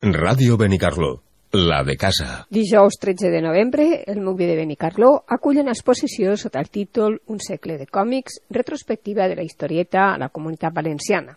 Ràdio Benicarló, la de casa. Dijous 13 de novembre, el MUCB de Benicarló acull una exposició sota el títol Un segle de còmics, retrospectiva de la historieta a la Comunitat Valenciana.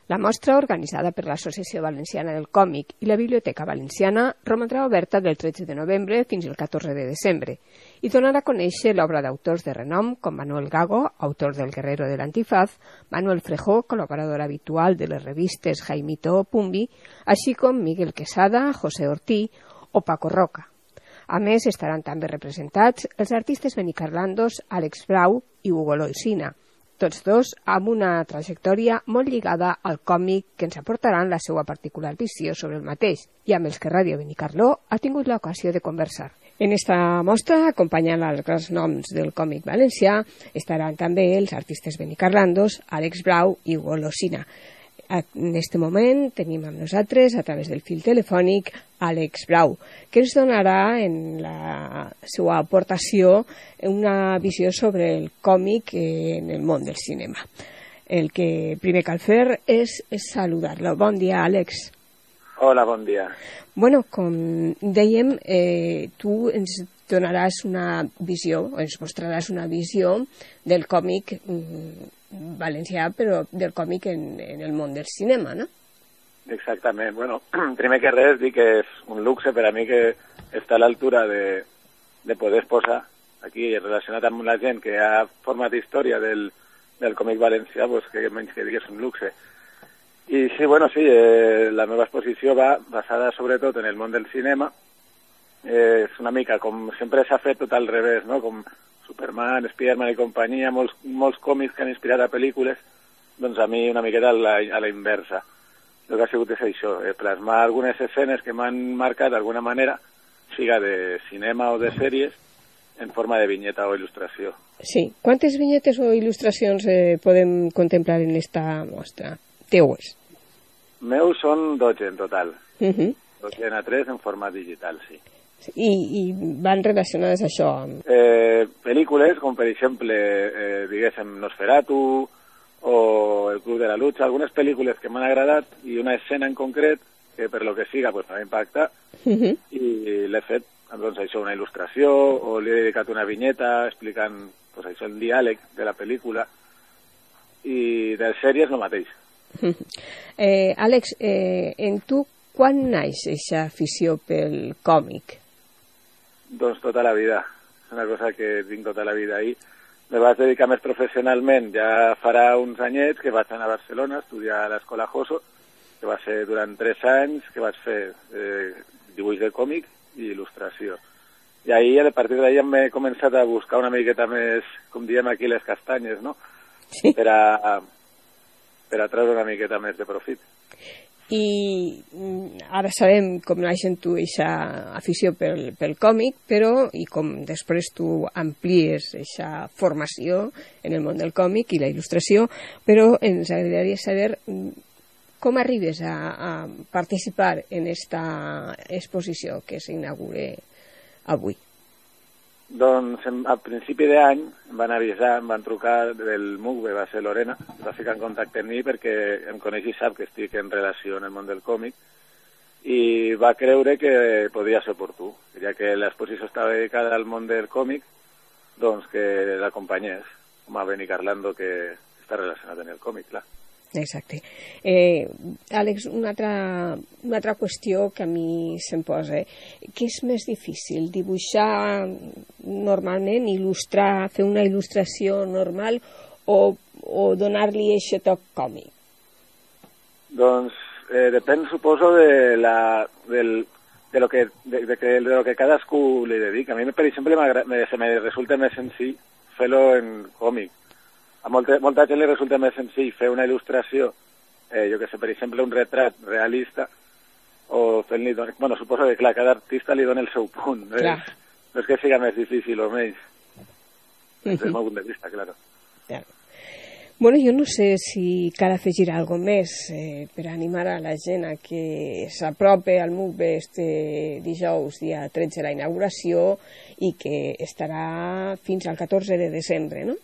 La mostra, organitzada per l'Associació Valenciana del Còmic i la Biblioteca Valenciana, romandrà oberta del 13 de novembre fins al 14 de desembre i donarà a conèixer l'obra d'autors de renom com Manuel Gago, autor del Guerrero de l'Antifaz, Manuel Frejó, col·laborador habitual de les revistes Jaimito o Pumbi, així com Miguel Quesada, José Ortí o Paco Roca. A més, estaran també representats els artistes benicarlandos Àlex Blau i Hugo Loisina, tots dos amb una trajectòria molt lligada al còmic que ens aportaran la seva particular visió sobre el mateix i amb els que Ràdio Benicarló ha tingut l'ocasió de conversar. En esta mostra, acompanyant els grans noms del còmic valencià, estaran també els artistes benicarlandos Àlex Blau i Hugo Loisina. En aquest moment tenim amb nosaltres, a través del fil telefònic, Àlex Blau, que ens donarà en la seva aportació una visió sobre el còmic en el món del cinema. El que primer cal fer és saludar-lo. Bon dia, Àlex. Hola, bon dia. Bueno, com dèiem, tu ens donaràs una visió, o ens mostraràs una visió del còmic valencià, però del còmic en el món del cinema, no? Exactament. Bueno, primer que res, dic que és un luxe per a mi que està a l'altura de poder exposar aquí, relacionat amb la gent que ha format història del còmic valencià, pues, que menys que digués un luxe. I sí, bueno, sí, la meva exposició va basada sobretot en el món del cinema. És una mica com sempre s'ha fet tot al revés, no? Com Superman, Spiderman i companyia, molts còmics que han inspirat a pel·lícules, doncs a mi una miqueta a la inversa. El que ha sigut és això, plasmar algunes escenes que m'han marcat d'alguna manera, siga de cinema o de sèries, en forma de vinyeta o il·lustració. Sí. Quantes vinyetes o il·lustracions podem contemplar en esta mostra? Teues? Meus són 12 en total. 12 a 3 en format digital, sí. I van relacionades a això? Pel·lícules, com per exemple, diguéssim, Nosferatu o El Club de la Lucha, algunes pel·lícules que m'han agradat i una escena en concret que per lo que siga pues, m'ha impactat i l'he fet, doncs això, una il·lustració o li he dedicat una vinyeta explicant pues, això, el diàleg de la pel·lícula i de les sèries el mateix. Àlex, en tu quan naix aquesta afició pel còmic? Doncs tota la vida. És una cosa que tinc tota la vida ahí. Me vaig dedicar més professionalment, ja farà uns anyets que vaig anar a Barcelona a estudiar a l'Escola Joso, que va ser durant 3 anys que vaig fer dibuix de còmic i il·lustració. I ahir, a partir d'ahir, m'he començat a buscar una miqueta més, com diem aquí, les castanyes, no? Sí. Per a treure una miqueta més de profit. I ara sabem com naix en tu aquesta afició pel còmic, però i com després tu amplies aquesta formació en el món del còmic i la il·lustració, però ens agradaria saber com arribes a participar en esta exposició que s'inaugura avui. Doncs a principi d'any em van avisar, em van trucar del MUCB, va ser Lorena, va ficar en contacte amb mi perquè em coneix i sap que estic en relació en el món del còmic i va creure que podia ser oportú, ja que l'exposició estava dedicada al món del còmic, doncs que l'acompanyés, com a Benicarlando que està relacionat amb el còmic, clar. Exacte. Àlex, una altra qüestió que a mi se'm posa. Què és més difícil? Dibuixar normalment, il·lustrar, fer una il·lustració normal o donar-li aquest toc còmic? Doncs depèn, suposo, de lo que cadascú li dedica. A mi, per exemple, se me resulta més senzill fer-lo en còmic. A molta gent li resulta més senzill fer una il·lustració, jo que sé, per exemple, un retrat realista, o fent-li... Bueno, suposo que, clar, cada artista li dona el seu punt. No és que siga més difícil o menys. Des del meu punt de vista, clar. Bueno, jo no sé si cal afegir alguna més per animar a la gent a que s'apropi al MUCB este dijous, dia 13, la inauguració, i que estarà fins al 14 de desembre, no?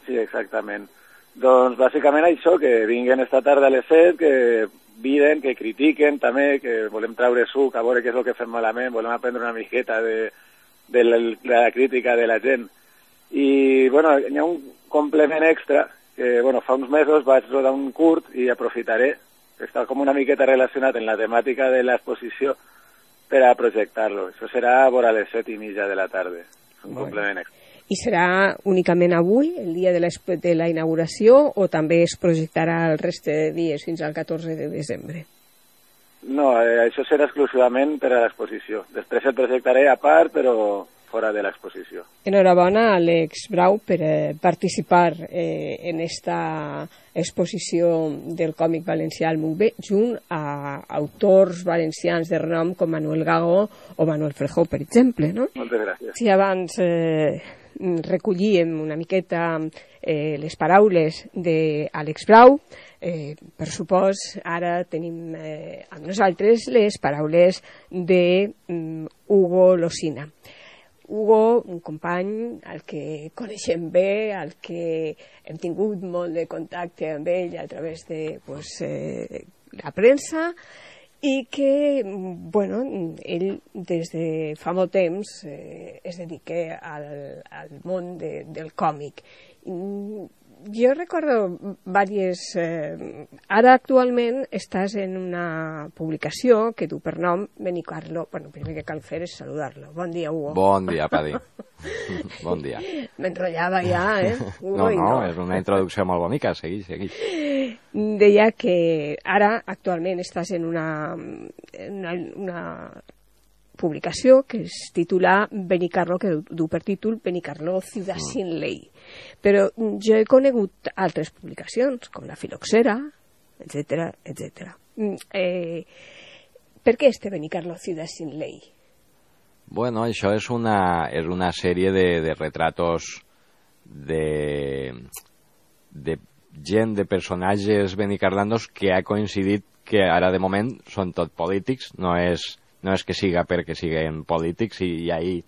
Sí, exactament. Doncs bàsicament això, que vinguen esta tarda a les 7, que viden, que critiquen també, que volem treure suc, a veure què és el que fem malament, volem aprendre una miqueta de la crítica de la gent. I, bueno, hi ha un complement extra, que, bueno, fa uns mesos vaig rodar un curt i aprofitaré, que està com una miqueta relacionat en la temàtica de l'exposició, per a projectar-lo. Això serà a vora les 7:30 de la tarda. És un complement extra. I serà únicament avui, el dia de la inauguració, o també es projectarà el reste de dies fins al 14 de desembre? No, això serà exclusivament per a l'exposició. Després el projectaré a part, però fora de l'exposició. Enhorabona a Àlex Brau per participar en esta exposició del còmic valencià al MUCB, junt a autors valencians de renom com Manuel Gago o Manuel Frejó, per exemple, no? Moltes gràcies. Si abans recollíem una miqueta les paraules d'Àlex Brau, per supòs, ara tenim amb nosaltres les paraules d'Hugo Losina. Hugo, un company al que coneixem bé, al que hem tingut molt de contacte amb ell a través de la premsa, i que, bueno, ell des de fa molt temps es dedica al món del còmic. Jo recordo diverses... Ara actualment estàs en una publicació que du per nom Benicarló. Bueno, el primer que cal fer és saludar-lo. Bon dia, Hugo. Bon dia, Padi. Bon dia. M'enrotllava ja, Hugo, no, és una introducció molt bonica. Segueix. Deia que ara actualment estàs en una publicació que es titula Benicarló, que du per títol Benicarló, ciutat sin ley. Però jo he conegut altres publicacions, com la Filoxera, etc. Per què este Benicarló, ciutat sin ley? Bueno, això és una sèrie de retratos de gent, de personatges benicarlandos que ha coincidit que ara de moment són tot polítics, no és que siga perquè siguen polítics, i ahí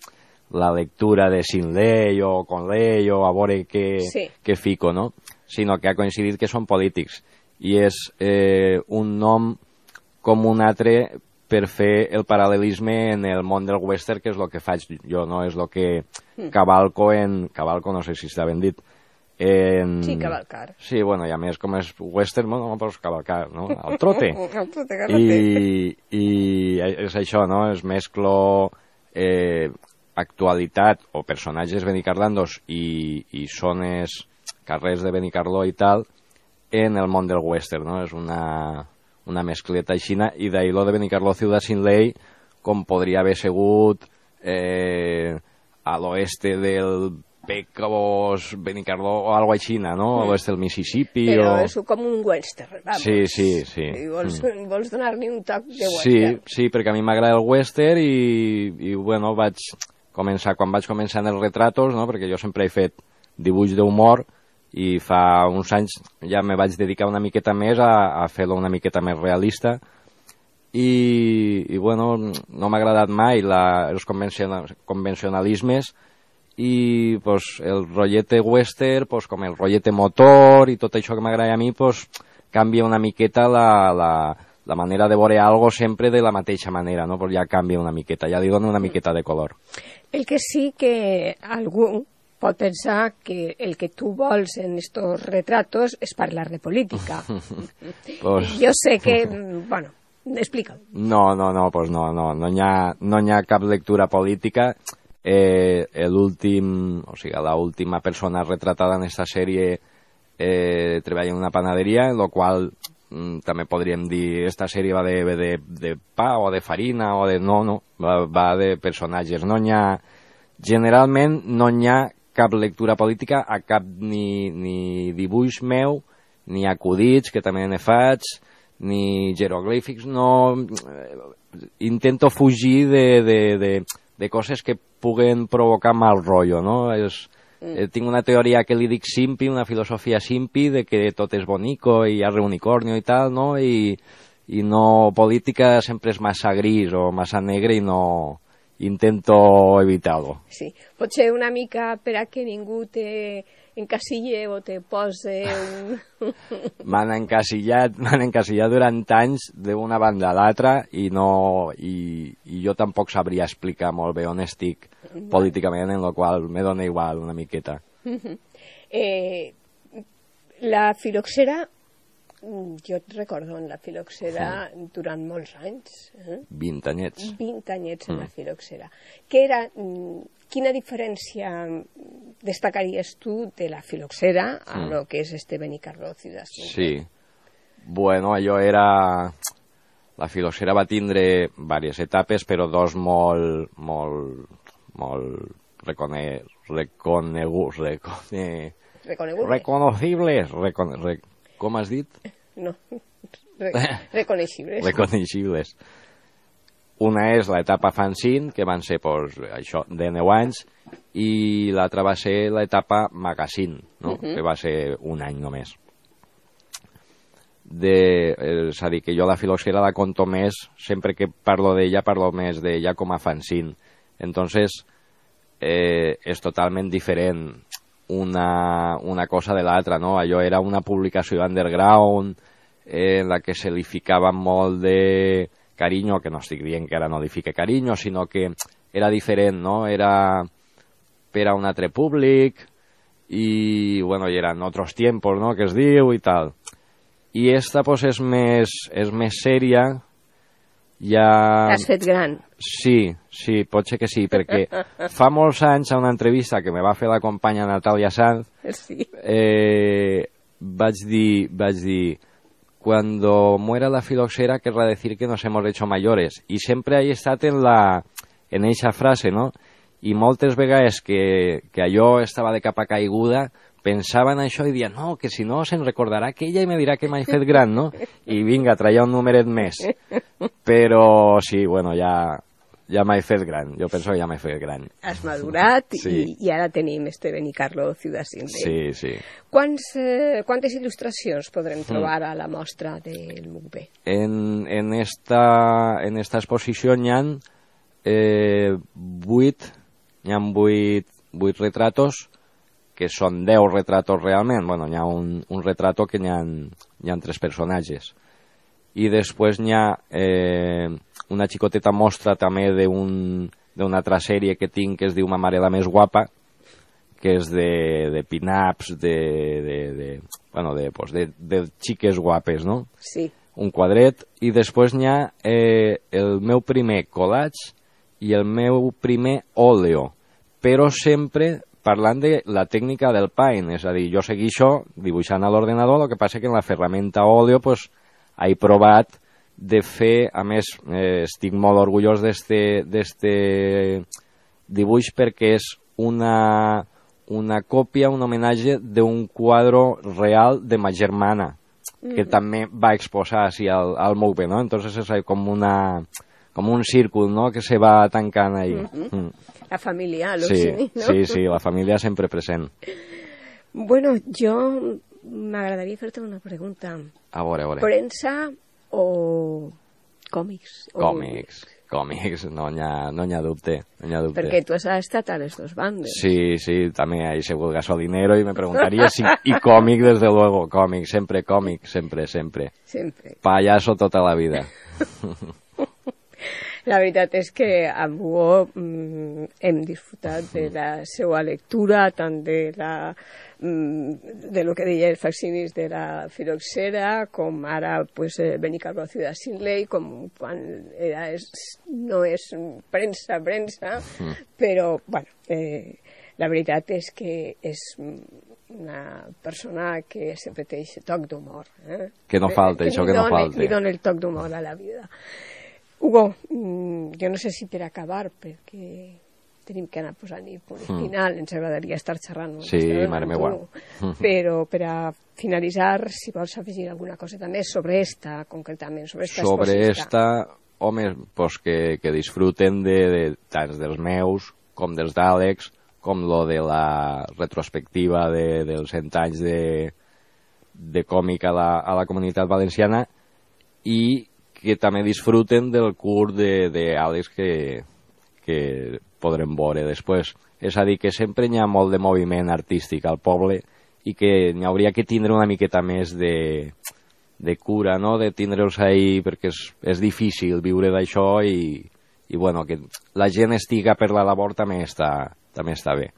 la lectura de sin ley o con ley o a veure què fico, no? Sinó que ha coincidit que són polítics. I és un nom com un altre per fer el paral·lelisme en el món del western, que és el que faig jo, no? És el que cavalco Cavalco, no sé si està ben dit. Sí, cavalcar. Sí, bueno, i a més, com és western, bueno, pues cavalcar, no? Al trote. Al trote. I és això, no? Es mesclo actualitat o personatges benicarlandos i zones, carrers de Benicarló i tal, en el món del western, no? És una mescleta aixina, i d'ahir lo de Benicarló, ciutat sin ley, com podria haver sigut a l'oeste del Pecos, Benicarló o algo així, no? A l'oest del Mississippi. Però és com un western, vamos. Sí. I vols donar-li un toc de western. Sí, perquè a mi m'agrada el western i bueno, quan vaig començar en els retratos, no? Perquè jo sempre he fet dibuix d'humor i fa uns anys ja me vaig dedicar una miqueta més a fer-lo una miqueta més realista i bueno, no m'ha agradat mai els convencionalismes i pues, el rotllete western, pues, com el rotllete motor i tot això que m'agrada a mi, pues, canvia una miqueta la manera de veure algo sempre de la mateixa manera, no? Pues ja canvia una miqueta, ja li dona una miqueta de color. El que sí que algú pot pensar que el que tu vols en estos retratos és parlar de política. Pues... Jo sé que... Bueno, explica. No, pues no hi ha cap lectura política. L'última persona retratada en esta sèrie treballa en una panaderia, en la qual també podríem dir esta sèrie va de pa o de farina o de... No, va de personatges. Generalment no hi ha cap lectura política a cap ni dibuix meu, ni acudits, que també ne faig, ni jeroglífics. No, intento fugir de coses que puguen provocar mal rotllo, no? Tinc una teoria que li dic simpi, una filosofia simpi, de que tot és bonico i hi ha reunicornio i tal, no? I no, política sempre és massa gris o massa negre i no intento evitar-ho. Sí, potser una mica per a que ningú te encasille o te pose un... M'han encasillat durant anys d'una banda a l'altra i jo tampoc sabria explicar molt bé on estic políticament, en la qual me dona igual una miqueta. La filoxera, jo et recordo en la filoxera durant molts anys. 20 anyets. 20 anyets en la filoxera. Quina diferència destacaries tu de la filoxera a lo que és este Benicarló Ciudad Sin Ley? Sí. Bueno, allò era... La filoxera va tindre diverses etapes, però dos molt reconocibles. Com has dit? No, reconeixibles. Reconeixibles. Una és l'etapa fanzine, que van ser això de 9 anys, i l'altra va ser l'etapa magazine, no? Que va ser un any només. És a dir, que jo la filoxera la conto més, sempre que parlo d'ella, parlo més d'ella com a fanzine. Entonces, és totalment diferent una cosa de l'altra, no? Allò era una publicació underground en la que se li ficava molt de carinyo, que no estic dient que ara no li fique carinyo, sinó que era diferent, no? Era per a un altre públic i, bueno, i eren otros tiempos, no?, que es diu i tal. I esta, pues, és més sèria, ja... T'has fet gran. Sí, pot ser que sí, perquè fa molts anys, a una entrevista que me va fer la companya Natalia Sanz, sí. vaig dir, cuando muera la filoxera querrá decir que nos hemos hecho mayores. I sempre he estat en eixa frase, no? I moltes vegades que allò estava de capa caiguda, pensava en això i dia, no, que si no se'n recordarà aquella i me dirà que m'he fet gran, no? I vinga, traia un numeret més. Però sí, bueno, ja m'he fet gran. Jo penso que ja m'he fet gran. Has madurat sí. i ara tenim este Benicarló Ciudad Sin Ley. Sí. Quantes il·lustracions podrem trobar a la mostra del MUCB? En esta exposició n'hi ha 8 retratos, que són 10 retratos realment. Bueno, hi ha un retrato que hi ha 3 personatges. I després n'hi ha una xicoteta mostra també d'una altra sèrie que tinc que es diu Ma mare la més guapa, que és de pin-ups, de xiques guapes, no? Sí. Un quadret. I després n'hi ha el meu primer collage i el meu primer óleo, però sempre parlant de la tècnica del paint, és a dir, jo segueixo dibuixant a l'ordenador, el que passa que en la ferramenta óleo pues, he provat de fer, a més, estic molt orgullós d'este dibuix perquè és una còpia, un homenatge d'un quadre real de ma germana, que també va exposar així al MUCB, no? Entonces és com un círcul, no?, que se va tancant ahí. La família, Luxini, no? Sí, la família sempre present. Bueno, jo m'agradaria fer-te una pregunta. A veure. Premsa o còmics? Còmics, no n'hi ha dubte. Perquè tu has estat a les dues bandes. Sí, també he sigut gasolinero i me preguntaria si... I còmic, desde luego, còmic, sempre. Sempre. Payaso tota la vida. La veritat és que amb Hugo hem disfrutat de la seva lectura, tant de lo que deia els facsimis de la filoxera, com ara pues, Benicarló Ciudad Sin Ley, com quan no és premsa, però bueno, la veritat és que és una persona que sempre té aquest toc d'humor. Que no falta, això que no falta. Li dona el toc d'humor a la vida. Hugo, jo no sé si per acabar, perquè tenim que anar posant-hi punt final, ens agradaria estar xerrant. Sí, mare meva. Però per a finalitzar, si vols afegir alguna coseta més sobre esta, concretament, sobre esta exposició. Sobre esta, home, pues que disfruten tant dels meus com dels d'Àlex, com lo de la retrospectiva dels 100 anys de còmic a la comunitat valenciana, i que també disfruten del curs d'Àlex que que podrem veure després. És a dir, que sempre hi ha molt de moviment artístic al poble i que n'hi hauria que tindre una miqueta més de cura, no?, de tindre'ls ahí, perquè és difícil viure d'això i bueno, que la gent estiga per la labor també està bé.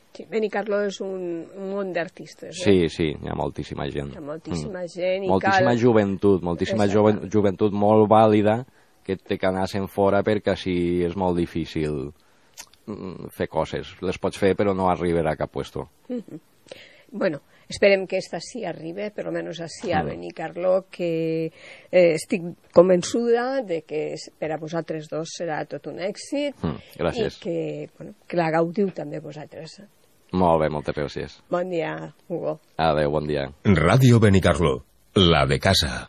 Sí, Benicarló és un món d'artistes. Sí, hi ha moltíssima gent. Hi ha moltíssima gent. Moltíssima joventut, joventut molt vàlida que té que anar se'n fora perquè així és molt difícil fer coses. Les pots fer però no arribarà a cap puesto. Bueno, esperem que esta sí arribe, per almenys així a Benicarló, que estic convençuda de que per a vosaltres dos serà tot un èxit. Gràcies. I que la gaudiu també vosaltres. Molt bé, moltes gràcies. Bon dia, Hugo. Adéu, bon dia. Radio Benicarló, la de casa.